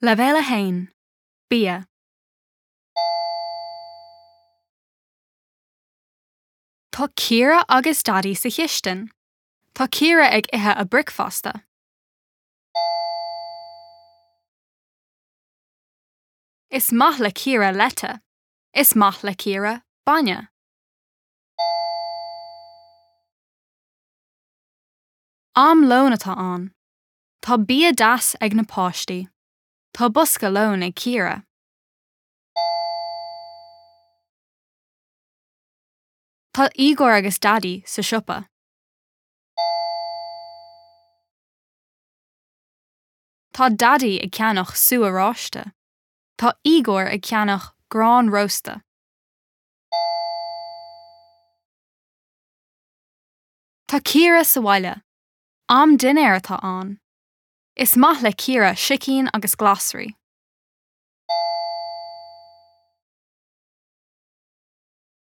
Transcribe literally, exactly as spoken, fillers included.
Leibhéal a haon, Bia. Tá Ciara agus Daidí sa chistin. Tá Ciara ag ithe a bricfeasta. Is maith le Ciara leite. Is maith le Ciara bainne. Am lóin atá ann. Tá bia deas ag na páistí. Tá bosca lóin ag Ciara. Tá Igor agus Daidí sa siopa. Tá Daidí ag ceannach sú oráiste. Tá Igor ag ceannach grán rósta. Tá Ciara sa bhaile. Am dinnéir atá ann. Is maith le Ciara sicín agus glasraí.